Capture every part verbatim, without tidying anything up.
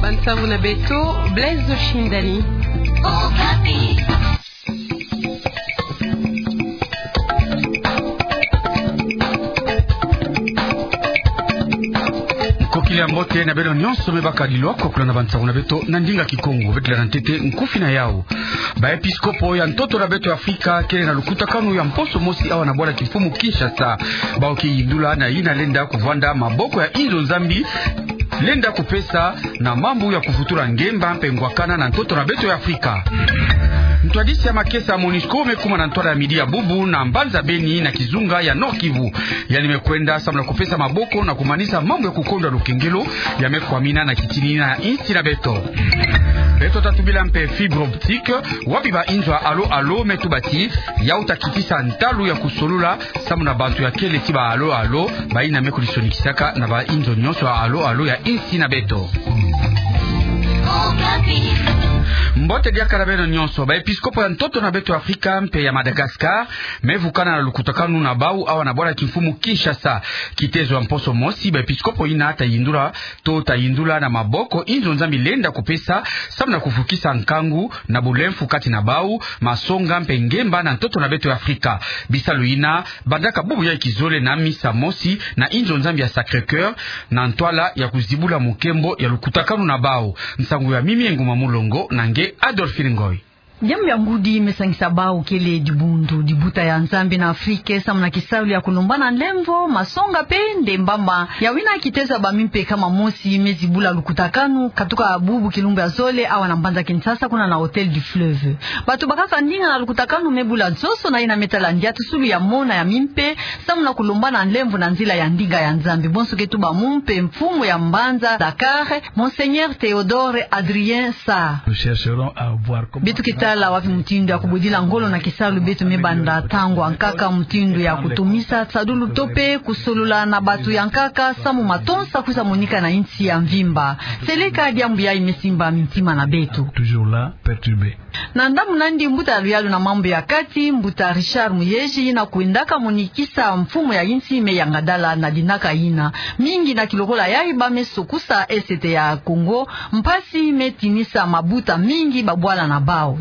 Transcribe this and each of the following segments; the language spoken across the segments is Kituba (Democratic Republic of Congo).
Bansangu na beto, Blaise Shindani. Nkokila ya mbote na beno nyonso me baka dilwa ko kulanda bansangu na beto na ndinga Kikongo. Beto landa ntete nkufi na yau. Baepiskopo ya ntoto na beto ya Afrika kele na lukutakanu ya mposo mosi awa na bwala kimfumu Kinshasa. Bau ke yindula na yina lenda kuvwanda maboko ya inzo Nzambi lenda kupesa na mambu ya kufutula ngemba mpe ngwakana na ntoto na beto ya Afrika. Ntwadisi ya makesa ya MONUSCO me kuma na ntwala ya midi ya bubu na mbanza Beni na kizunga ya Nord-Kivu. Yandi me kwenda samu na kupesa maboko na kumanisa mambu ya kukondwa lukengelo ya me kwamina na kitini na insi na beto. Beto ta tubila mpe fibre optique, wapi bainzo ya Allo Allo me tuba ti yau ta kitisa ntalu ya kusolola samu na bantu ya kele ti ba Allo Allo, bayina me kulisonikisaka na bainzo nyonso ya Allo Allo ya insi na beto. Mbote diaka na beno nyonso. Baepiskopo ya ntoto na beto ya Afrika mpe ya Madagascar me vukana na lukutakanu na bau awa na bwala kimfumu Kinshasa. Kitezo ya mposo mosi, baepiskopo yina ta yindula to ta yindula na maboko inzo Nzambi lenda kupesa samu na kufukisa nkangu na bulemfu kati na bau, masonga mpe ngemba na ntoto na beto ya Afrika. Bisalu yina bandaka bubu ya kizole na misa mosi na inzo Nzambi ya Sacré-Cœur na ntwala ya kuzibula mukembo ya lukutakanu na bau. Nsangu ya Mimi Nguma Mulongo na nge Adolphine Ngoy. Diambu ya ngudi me sangisa bau kele dibundu, dibuta ya Nzambi na Afrika samu na kisalu ya kulombana nlemvo, masonga mpe ndembama. Yawu yina kitezo ya bamimpe kama mosi me zibula lukutakanu, katuka bubu kilumbu ya zole awa na mbanza Kinshasa kuna na Hôtel du Fleuve. Bato bakaka ndinga na lukutakanu me bula nsoso na yina me tala ndiatusulu ya mona ya mimpe, samu na kulombana nlemvo na nzila ya ndinga ya Nzambi. Bonso ke tuba mumpe mfumu ya mbanza Dakar, Monseigneur Théodore Adrien Sarr. Nous chercherons à voir comment... Beto ke tala wapi mutindu ya kubwedila ngolo na kisalu beto me banda ntangu ya nkaka, mutindu ya kutomisa nsadulu to mpe kusolola na bato ya nkaka, samu matonsa kwiza monika na insi ya mvimba. Seleka diambu yayi me simba mintima na beto. Toujours là, perturbé. Na ndambu nandi, mbuta ya luyalu na mambu ya kati, mbuta Richard Muyej, yina kwendaka monikisa mfumu ya insi, me yangadala na dinaka yina. Mingi na kilokola yayi ba me sokusa Est ya Congo, mpasi me tinisa mabuta mingi babwala na bau.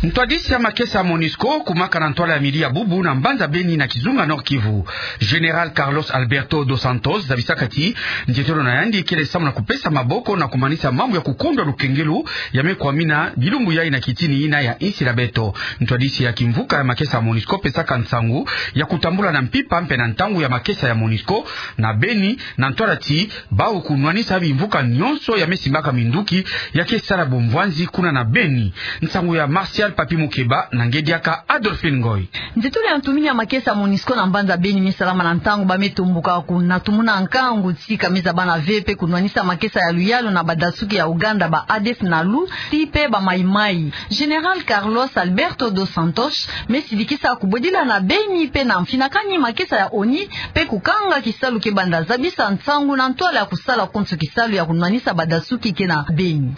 Ntwadisi ya makesa ya MONUSCO kumaka na ntwala ya midi ya bubu na mbanza Beni na kizunga Nord-Kivu. Général Carlos Alberto dos Santos zabisaka ti nzietolo na yandi kele samu na kupesa maboko na kumanisa mambu ya kukondwa lukengelo ya me kwamina bilumbu yayi na kitini yina ya insi na beto. Ntwadisi ya kimvuka ya makesa ya MONUSCO pesaka nsangu ya kutambula na mpimpa mpe na ntangu ya makesa ya MONUSCO na Beni, na ntwala ti bau kunwanisa bimvuka nyonso ya me simbaka minduki ya ke sala bumvwanzi kuna na Beni. Nsangu ya Martial Papi Mukeba na nge diaka Adolphine Ngoy. Nzietolo ya ntumini ya makesa ya MONUSCO na mbanza Beni me salama na ntangu ba me tomboka kunatumuna nkangu ti ka me zabana ve mpe kunwanisa makesa ya luyalu na badasuki ya Ouganda, ba A D F Nalu, ti mpe ba Mai Mai. Général Carlos Alberto dos Santos me sidikisa kubwedila na Beni mpe na mfinakani makesa ya ONU mpe kukanga kisalu ke banda zabisa nsangu na ntwala ya kusala konso kisalu ya kunwanisa badasuki ke na Beni.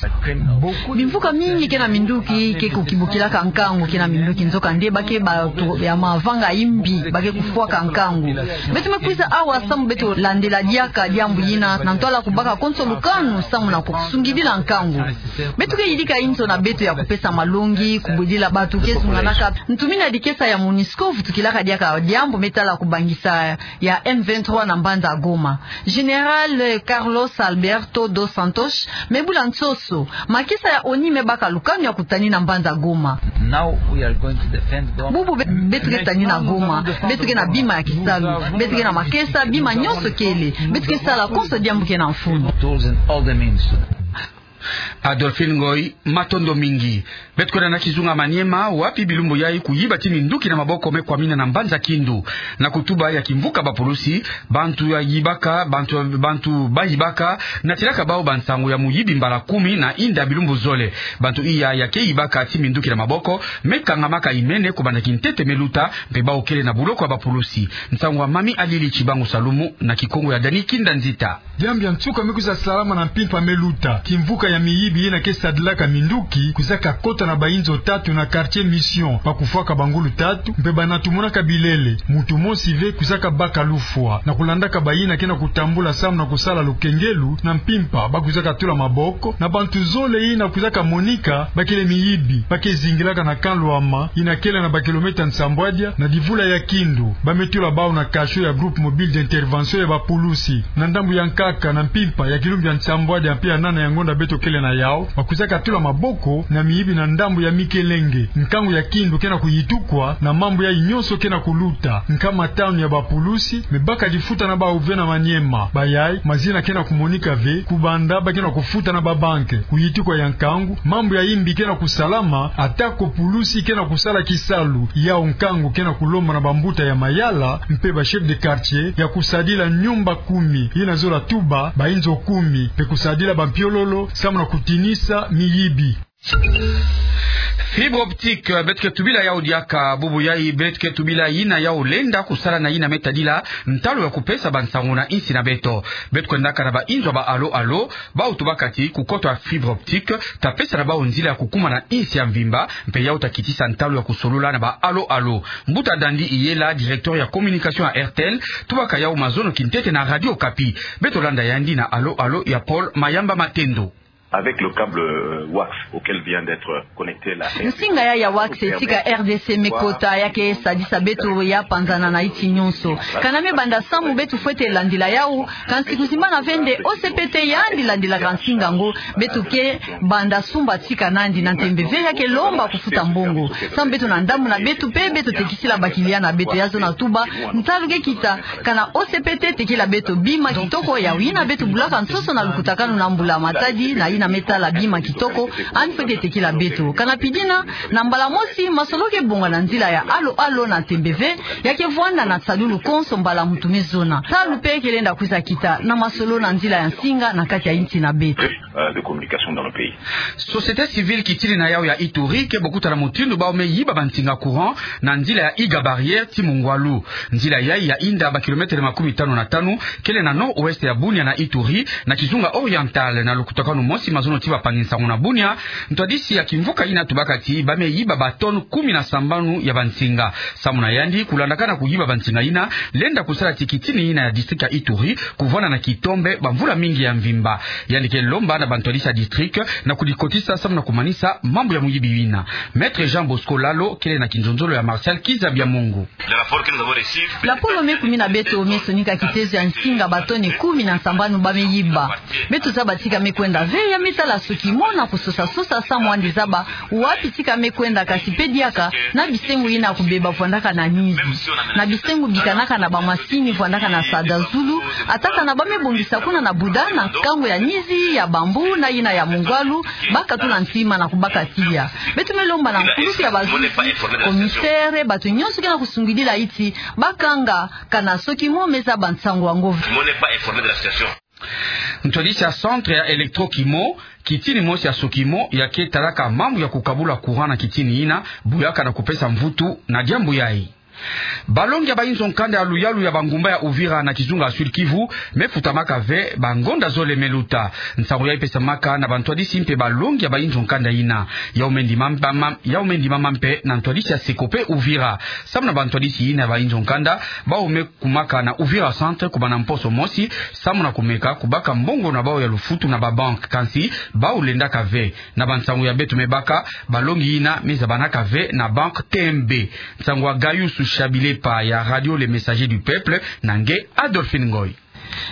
Bimvuka mingi ke na minduki ke kukibukilaka nkangu ke na minduki, nzokande ba ke bato ya mavanga imbi, ba ke kufwaka nkangu. Beto me kwiza awa samu beto landela diaka diambu yina na ntwala kubaka konso lukanu samu na kusungidila nkangu. Beto ke yidika inzo na beto ya kupesa malongi, kubwedila bato ke zunganaka. Ntumini ya dikesa ya MONUSCO vutukilaka diaka diambu me tala kubangisa ya M vingt-trois na mbanza Goma. Général Carlos Alberto dos Santos me bula nsoso, makesa ya ONU me baka lukanu ya kutani na mbanza Goma. Now we are going to defend Goma. Bubu be-, beto ke tani na Goma, beto ke na bima ya kisalu, beto ke na makesa, bima nyonso kele, beto ke sala konso diambu ke na mfunu. Tools and all the means. Adolphine Ngoy, matondo mingi. Beto kwenda na kizunga Maniema, wapi bilumbu yayi kuyiba ti minduki na maboko me kwamina na mbanza Kindu. Na kutuba ya kimvuka bapulusi, bantu ya yibaka, bantu, bantu bayibaka, natilaka bau bansangu ya muyibi mbala kumi na inda bilumbu zole. Bantu iya ya ke yibaka ti minduki na maboko me kangamaka imene kubanda kintete me luta, mpe bau kele na buloko ya bapulusi. Nsangu ya Mami Alili Chibangu Salumu na Kikongo ya Dani Kinda Nzita. Diambu ya nsuka me kwiza salama na mpimpa me luta. Kimvuka ya miyibi yina ke sadilaka minduki kwizaka kota na bainzo tatu na quartier Mission, ba kufwaka bangulu tatu, mpe bana tumonaka bilele, muntu mosi ve kwizaka baka lufwa. Na kulandaka bayina ke na kutambula samu na kusala lukengelu na mpimpa, ba kwizaka tula maboko na bantu zole yina kwizaka monika bakele miyibi, ba ke zingilaka na camp Lwama, yina kele na bakilomètre nsambwadia na divula ya Kindu. Ba me tula bawu na cachot ya groupe mobile d'intervention ya bapulusi na ndambu ya nkaka na mpimpa ya kilumbu ya nsambwadia mpe ya nana ya ngonda beto kele na yawu. Ba kwizaka tula maboko na miyibi na ndambu ya Mikelenge. Nkangu ya Kindu ke na kuyitukwa na mambu yayi nyonso ke na kuluta. Nkama tanu ya bapulusi me baka lifuta na bawu ve na Maniema. Bayayi, mazina ke na kumonika ve, kubanda ba ke na kufuta na babanke. Kuyitukwa ya nkangu, mambu ya yimbi ke na kusalama, ata ko pulusi ke na kusala kisalu. Yawu nkangu ke na kulomba na bambuta ya mayala mpe ba chef de quartier ya kusadila nyumba kumi, yina zola tuba bainzo kumi, mpe kusadila bampiololo samu na kutinisa miyibi. Fibre optique, beto ke tubila yawu diaka. Bubu yayi, beto ke tubila yina yawu lenda kusala na yina me tadila ntalu ya kupesa bansangu na insi na beto. Beto kwendaka na bainzo ya ba Allo Allo, bawu tubaka ti kukoto ya fibre optique ta pesa na bawu nzila ya kukuma na insi ya mvimba, mpe yawu ta kitisa ntalu ya kusolula na ba Allo Allo. Mbuta Dandi Iyela, directeur ya communication ya R T L, tubaka yawu mazono kintete na Radio Okapi. Beto landa yandi na Allo Allo ya Paul Mayamba Matendo. Avec le câble, euh, wax auquel vient d'être connecté la R D C. Nsinga yayi ya wax tika R D C me kota, ya ke sadisa beto ya panzana na inti nyonso. Kana me banda samu beto fwete landila yawu, kansi kuzimbana ve nde O C P T yandi landilaka nsinga yango, beto ke banda sumba tika nandi na ntembe ve, ya ke lomba kufuta mbongo. Samu beto na ndambu na beto mpe beto tekisila ba client na beto, ya zona tuba, ntalu ke kita, kana O C P T tekila beto bima kitoko, yawu yina beto bulaka nsoso na lukutakanu na Mbula Matadi, na yina me tala bima kitoko, yandi fwete tekila beto. Kana pidina, na mbala mosi, masolo ke bonga na nzila ya Allo Allo na ntembe ve, ya ke vwanda na nsalulu konso mbala muntu me zona. Ntalu mpe ke lenda kwiza kita na masolo na nzila ya nsinga na kati ya inti na beto. Euh, de communication dans le pays. Société civile kitini na yawu ya Ituri ke bokuta na mutindu bawu me yiba bansinga courant na nzila ya Iga Barrière ti Mungwalu. Nzila yayi ya inda ba kilomètre makumi tanu na tanu, kele na nord-ouest ya Bunia na Ituri, na kizunga oriental. Na lukutakanu mosi mazono ti bapangi nsangu na Bunia, ntwadisi ya kimvuka yina tubaka ti ba me yiba ba tonnes kumi na sambanu ya bansinga. Samu na yandi, kulandakana kuyiba bansinga yina, lenda kusala ti kitini yina ya district ya Ituri kuvwanda na kitombe bamvula mingi ya mvimba. Yandi ke lomba na bantwadisi ya district na kudikotisa samu na kumanisa mambu ya muyibi yina. Maître Jean Bosco Lalo, kele na kinzonzolo ya Martial Kizabia Mungu. Lapolo me kumina beto me sonika kitezo ya nsinga ba tonnes kumi na sambanu ba me yiba. Beto zaba tika me kwenda ve, ya me tala SOCIMO na kusosa-sosa samu yandi zaba wapi tika me kwenda, kansi mpe diaka na bisengo yina kubeba vwandaka na nizi. Na bisengo bikanaka na bamasini vwandaka na sada zulu, ata kana ba me bongisa kuna na Buda na nkangu ya nizi ya bambu na yina ya Mungwalu, bakatula ntima na kubaka tiya. Beto me lomba na nkulusu ya bazuzi, commissaire, bato nyonso ke na kusungidila inti, bakanga kana SOCIMO me zaba nsangu yango ve. Ntwadisi ya centre ya Electrokimo, kitini mosi ya SOCIMO ya ke talaka mambu ya kukabula courant na kitini yina, buyaka na kupesa mvutu na diambu yayi. Balongi ya bainzo nkanda ya luyalu ya bangumba ya Uvira na kizunga ya Sud-Kivu me futamaka ve bangonda zole me luta. Nsangu yayi pesamaka na bantwadisi mpe balongi ya bainzo nkanda yina. Yawu me ndimama, yawu me ndimama mpe na ntwadisi ya SECOPE Uvira. Samu na bantwadisi yina ya bainzo nkanda, bawu me kumaka na Uvira centre kubanda mposo mosi, samu na kumeka kubaka mbongo na bawu ya lufutu na babanke, kansi bawu lendaka ve. Na bansangu ya beto me baka, balongi yina me zabanaka ve na banke T M B. Nsangu ya Gayusu Shabilepa ya Radio Le Messager du Peuple, na nge Adolphine Ngoy.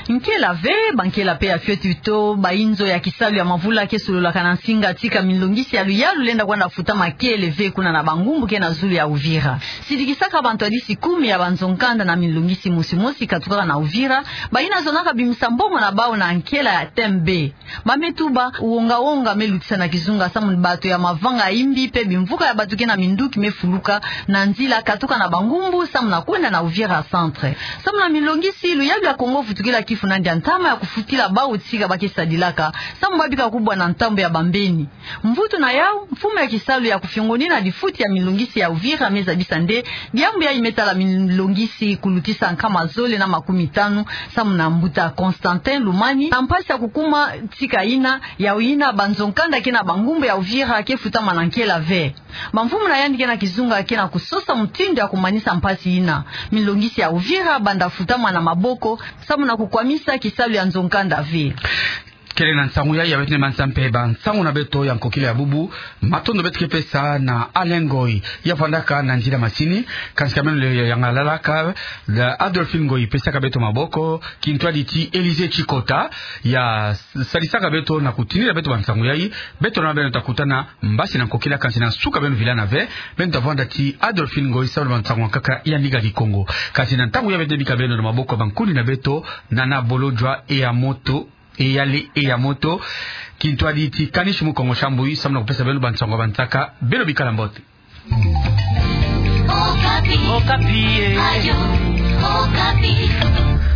Nkela ve, bankela mpe ya fioti to bainzo ya kisalu ya mavula ke sololaka na nsinga tika milongisi ya luyalu lenda kwenda futama kele ve kuna na bangumbu ke na zulu ya Uvira. Sidikisaka bantwadisi kumi ya banzo nkanda na milongisi mosi mosi katukaka na Uvira, bayina zonaka bimisa mbongo na bawu na nkela ya T M B. Ba me tuba, wonga-wonga me lutisa na kizunga samu bato ya mavanga ya imbi mpe bimvuka ya bato ke na minduki me fuluka na nzila katuka na bangumbu samu na kwenda na Uvira centre. Samu na milongisi, luyalu ya Kongo vutukila Funa ndia ntama ya kufutila bawu tika ba ke sadilaka, samu babika kubwa na ntambo ya bambeni. Mvutu na yau, mfumu ya kisalu ya kufiongonina difuti ya milongisi ya Uvira me zabisa nde diambu yayi me tala milongisi kulutisa nkama zole na makumi tanu, samu na mbuta Constantin Lumani, na mpasi ya kukuma tika yina, yau yina banzo nkanda ke na bangumbu ya Uvira ke futamana nkela ve. Bamfumu na yandi ke na kizunga ke na kusosa mutindu ya kumanisa mpasi yina. Milongisi ya Uvira banda futamana maboko, samu na kukwamisa kisalu ya nzo nkanda ve. Kele na nsangu yayi, ya beto ni mansa mpe ba nsangu na beto ya nkokila ya bubu. Matondo beto ke pesa na Alain Ngoyi, ya vandaka na nzila masini. Kansi ka meno le yangalalaka, la Adolphine Ngoyi pesaka beto maboko, kintwadi ti Élisée Tshikota, ya sadisaka beto na kutinina beto ba nsangu yayi. Beto na beno ta kutana mbasi na nkokila, kansi na suka beno vilana ve, beno ta vwanda ti Adolphine Ngoyi samu na ba nsangu ya nkaka ya Ndinga Kikongo. Kansi na ntangu yayi beto bika beno na maboko ya bankuni na beto, Nana Bolodjwa Eyamoto, Eyale Eyamoto, kintwadi ti Kanish Mukongo Shambui, samu na kupesa beno ba nsangu ya bansaka. Beno bikala mbote. Okapi. Okapi, eh. Radio Okapi.